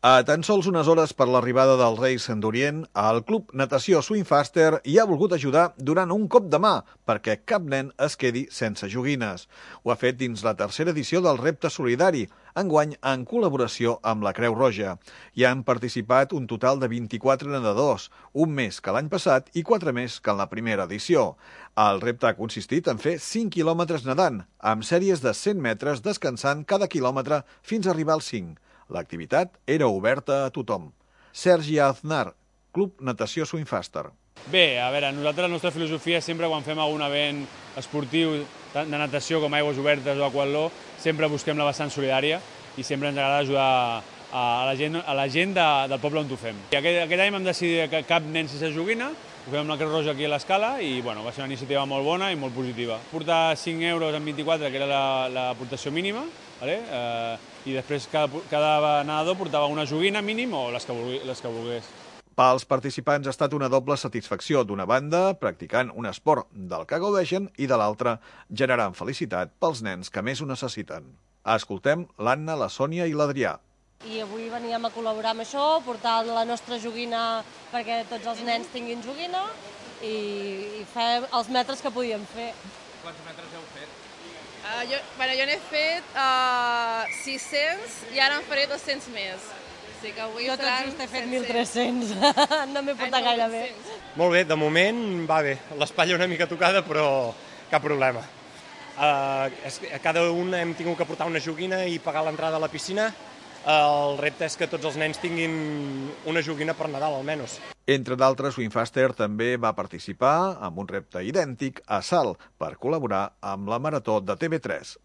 A tan sols unes hores per l'arribada dels Reis d'Orient, el Club Natació Swimfaster hi ha volgut ajudar donant un cop de mà perquè cap nen es quedi sense joguines. Ho ha fet dins la tercera edició del Repte Solidari, enguany en col·laboració amb la Creu Roja. Hi han participat un total de 24 nedadors, un més que l'any passat i 4 més que en la primera edició. El repte ha consistit en fer 5 quilòmetres nedant, amb sèries de 100 metres descansant cada quilòmetre fins a arribar als 5. L'activitat era oberta a tothom. Sergi Aznar, Club Natació Swimfaster. Bé, a veure, nosaltres la nostra filosofia sempre quan fem algun event esportiu, tant de natació com aigües obertes o aquatló, sempre busquem la vessant solidària i sempre ens agrada ajudar a la gent del poble on ho fem. Aquest any vam decidir que cap nen sense joguina, ho fem amb la Creu Roja aquí a l'Escala i bueno, va ser una iniciativa molt bona i molt positiva. Portar 5 euros en 24, que era l'aportació mínima, i després cada nedador portava una joguina mínim o les que volgués. Pels participants ha estat una doble satisfacció, d'una banda practicant un esport del que gaudeixen i de l'altra generant felicitat pels nens que més ho necessiten. Escoltem l'Anna, la Sònia i l'Adrià. I avui veníem a col·laborar amb això, portar la nostra joguina perquè tots els nens tinguin joguina i fer els metres que podíem fer. Quants metres heu fet? Jo n'he fet 600 i ara en faré 200 més. Jo tot just he fet 1.300, no m'he portat gaire bé. Molt bé, de moment va bé. L'espatlla una mica tocada, però cap problema. Cada un hem tingut que portar una joguina i pagar l'entrada a la piscina. El repte és que tots els nens tinguin una joguina per Nadal, almenys. Entre d'altres, Swimfaster també va participar amb un repte idèntic a Salt per col·laborar amb la Marató de TV3.